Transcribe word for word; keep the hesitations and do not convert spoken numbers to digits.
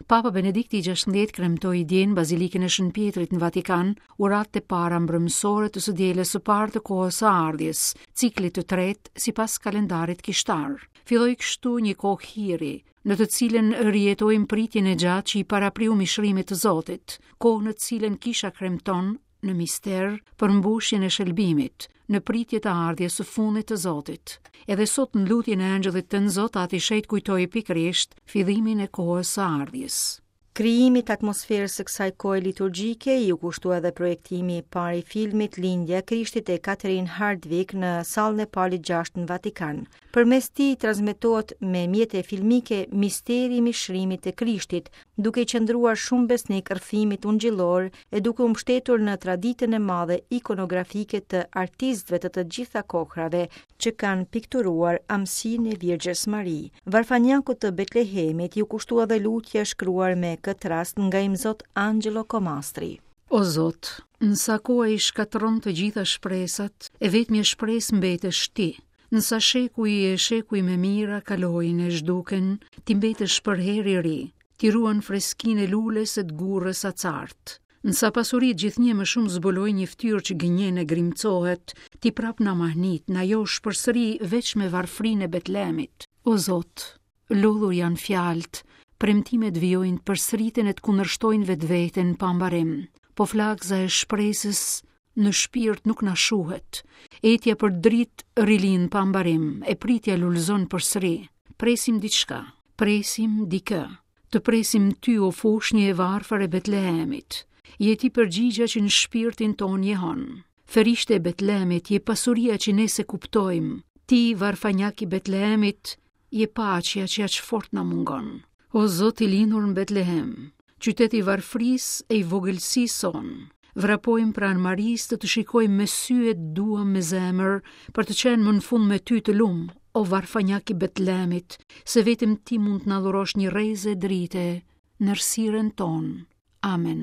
Papa Benedikti i gjashtëmbëdhjetë kremtoi dje në Bazilikën e Shën Pjetrit në Vatikan uratë e para mbrëmësore të së dielës së parë të kohës së ardhjes, ciklit të tretë sipas kalendarit kishtar. Filloi kështu një kohë hiri, në të cilën rijetojmë pritjen e gjatë që i parapriu mishrimit të Zotit, kohë në të cilën kisha kremton në mister përmbushjen e shëlbimit, në pritje të ardhjes së fundit të Zotit. Edhe sot në lutjen e Engjëllit të Zot, Ati Shenjt kujtoi pikërisht fillimin e kohës së ardhjes. Krijimit të atmosferës së kësaj kohe liturgjike iu kushtua edhe projektimi i parë i filmit Lindja e Krishtit e Catherine Hardwicke në sallën e Palit gjashtë në Vatikan. Përmes tij transmetohet me mjete filmike misteri i mishrimit të Krishtit, duke i qëndruar shumë besnik rrëfimit ungjillor e duke u mbështetur në traditën e madhe ikonografike të artistëve të të gjitha kohrave që kanë pikturuar amsinë e Virgjës Mari. Varfanjakut të Betlehemit iu kushtua edhe lutja e shkruar me këtë rast nga Imzot Angelo Comastri. O Zot, në sa kohë i shkatërron të gjitha shpresat, e vetmja shpresë mbetesh ti. Në sa shekuj e shekuj me mira kalojnë e zhduken, ti mbetesh përherë i ri. Ti ruan freskinë e lules e të gurrës acart. Në sa pasuritë gjithnjë më shumë zbulojnë një fytyrë që gënjen e grimcohet, ti prap na mahnit, na josh përsëri veç me varfrinë e Betlehemit. O Zot, lodhur janë fjalët, premtimet vijojnë të përsëriten e të kundërshtojnë vetveten pa mbarim. Po flakza e shpresës në shpirt nuk na shuhet. Etja për dritë rilin pa mbarim, e pritja lulëzon përsëri. Presim diçka, presim dikë. Të presim ty, o foshnjë e varfër e Betlehemit. Je ti përgjigja që në shpirtin ton jehon. Ferishte e Betlehemit, je pasuria që ne se kuptojmë. Ti, varfanjak i Betlehemit, je paqja që aq fort na mungon. O Zot i lindur në Betlehem, qytet i varfrisë e i vogëlsisë sonë, vrapojmë pranë Marisë të të shikojmë me sy e të duam me zemër, për të qenë më në fund me ty të lum, o varfanjak i Betlehemit, se vetëm ti mund të na dhurosh një rreze drite në errësirën tonë. Amen.